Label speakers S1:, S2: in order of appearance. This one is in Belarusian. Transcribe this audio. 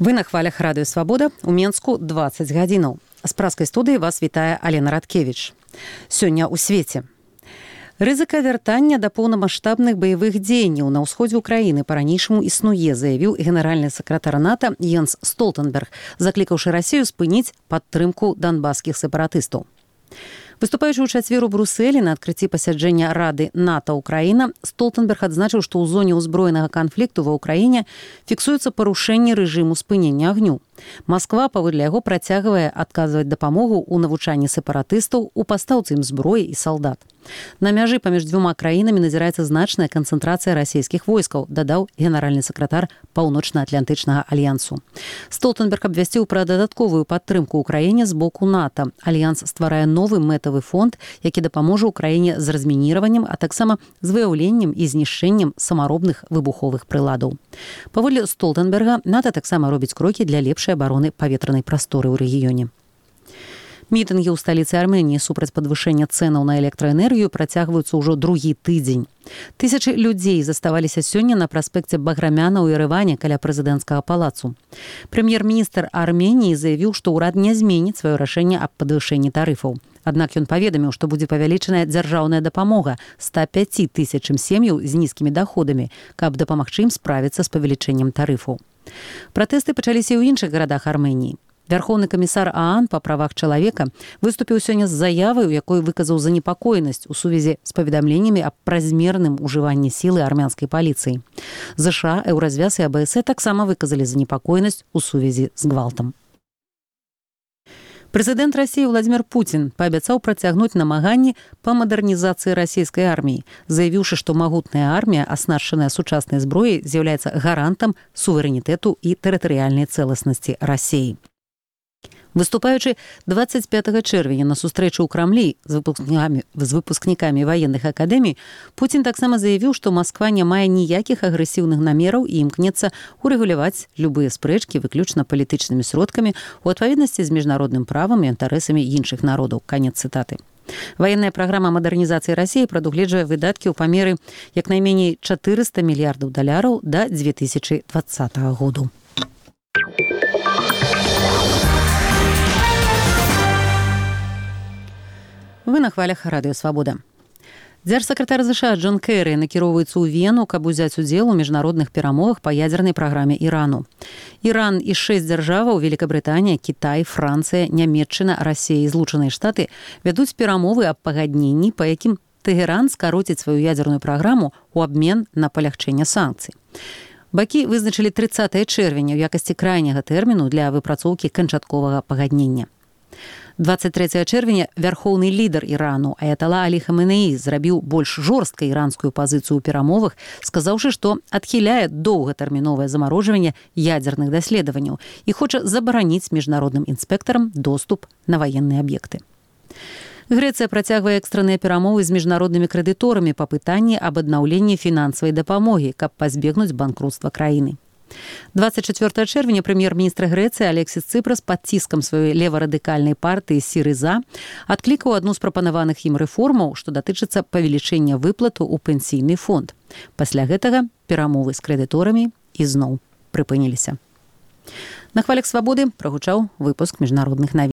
S1: Вы на хвалях радыё Свабода, у Менску 20 гадзінаў. З праскай студыі вас вітае Алена Радкевіч. Сёння ў свеце. Рызыка вяртання да поўнамаштабных баявых дзеянняў на ўсходзе ўкраіны па-ранейшаму існуе, заявіў генеральны сакратар НАТО Йенс Столтенберг, заклікаўшы Расію спыніць падтрымку донбасскіх сепаратыстаў. Выступаючы ў чацвер у Брусэлі на адкрыцці пасяджэння Рады НАТО-Украіна, Столтенберг адзначыў, што ў зоне ўзброенага канфлікту ва ўкраіне фіксуецца парушэнне рэжыму спынення агню. Масква, паводле яго, працягвае адказваць дапамогу ў навучанні сепаратыстаў, у пастаўцы ім зброі і салдат. На мяжы паміж дзвюма краінамі назіраецца значная канцэнтрацыя расійскіх войскаў, дадаў генеральны сакратар Паўночна-Атлантычнага альянсу. Столтенберг абвясціў пра дадатковую падтрымку ўкраіне з боку НАТО. Альянс стварае новы мэтавы фонд, які дапаможа ўкраіне з размініраваннем, а таксама з выяўленнем і знішчэннем самаробных выбуховых прыладаў. Паводле Столтенберга, НАТО таксама робіць крокі для лепшай абароны паветранай прасторы ў рэгіёне. Мітынгі ў сталіцы Арменіі супраць падвышэння цэнаў на электраэнергію працягваюцца ўжо другі тыдзень. Тысячы людзей заставаліся сёння на праспекце Баграмяна ў Ерэване каля прэзідэнцкага палацу. Прэм'ер-міністр Арменіі заявіў, што ўрад не зменіць сваё рашэнне аб падвышэнні тарыфаў. Аднак ён паведаміў, што будзе павялічаная дзяржаўная дапамога 105 тысячам сем'яў з нізкімі даходамі, каб дапамагчы ім справіцца з павелічэннем тарыфаў. Пратэсты пачаліся і ў іншых гарадах Арменіі. Вярхоўны камісар ААН па правах чалавека выступіў сёння з заявай, у якой выказаў занепакоенасць у сувязі з паведамленнямі аб празмерным ужыванні сілы армянскай паліцыі. ЗША, Еўразвяз і АБС таксама выказалі занепакоенасць у сувязі з гвалтам. Прэзідэнт Расіі Владзімір Пуцін паабяцаў працягнуць намаганні па мадэрнізацыі расійскай арміі, заявіўшы, што магутная армія, аснашчаная сучаснай зброяй, з'яўляецца гарантам суверэнітэту і тэрытарыяльнай цэласнасці Расіі. Выступаючы 25 чэрвеня на сустрэчы ў Крамлі з выпускнікамі ваенных акадэмій, Пуцін таксама заявіў, што Масква не мае ніякіх агрэсіўных намераў і імкнецца урэгуляваць любыя спрэчкі выключна палітычнымі сродкамі ў адпаведнасці з міжнародным правам і інтарэсамі іншых народаў. Канец цытаты. Ваенная праграма мадэрнізацыі Расіі прадугледжвае выдаткі ў памеры як найменей $400 мільярдаў да 2020 году. Вы на хвалях радыё Свабода. Дзяржсакратар ЗША Джон Кэры накіроўваецца ў Вену, каб узяць удзел у міжнародных перамовах па ядзернай праграме Ірану. Іран і 6 дзяржаваў – Великабрытанія, Кітай, Францыя, Нямецчына, Расія і Злучаныя Штаты вядуць перамовы аб пагадненні, па якім Тэгеран скароціць сваю ядзерную праграму ў абмен на палягчэнне санкцый. Бакі вызначылі 30 чэрвеня ў якасці крайняга тэрміну для выпрацоўкі канчатковага пагаднення. 23 чэрвеня вярхоўны лідар Ірану Аятала Алі Хаменеі зрабіў больш жорсткай іранскую пазіцыю ў перамовах, сказаўшы, што адхіляе доўгатэрміновае замарожванне ядзерных даследаванняў і хоча забараніць міжнародным інспектарам доступ на ваенныя аб'екты. Грэцыя працягвае экстранныя перамовы з міжнароднымі крэдыторамі па пытанні аб аднаўленні фінансавай дапамогі, каб пазбегнуць банкрутства краіны. 24 чэрвеня прэм'ер-міністр Грэцыі Алексіс Цыпрас пад ціскам сваёй леварадыкальнай партыі Сірыза адклікаў адну з прапанаваных ім рэформаў, што датычыцца павелічэння выплату ў пенсійны фонд. Пасля гэтага перамовы з крэдыторамі ізноў прыпыніліся. На хвалях Свабоды прагучаў выпуск міжнародных навін.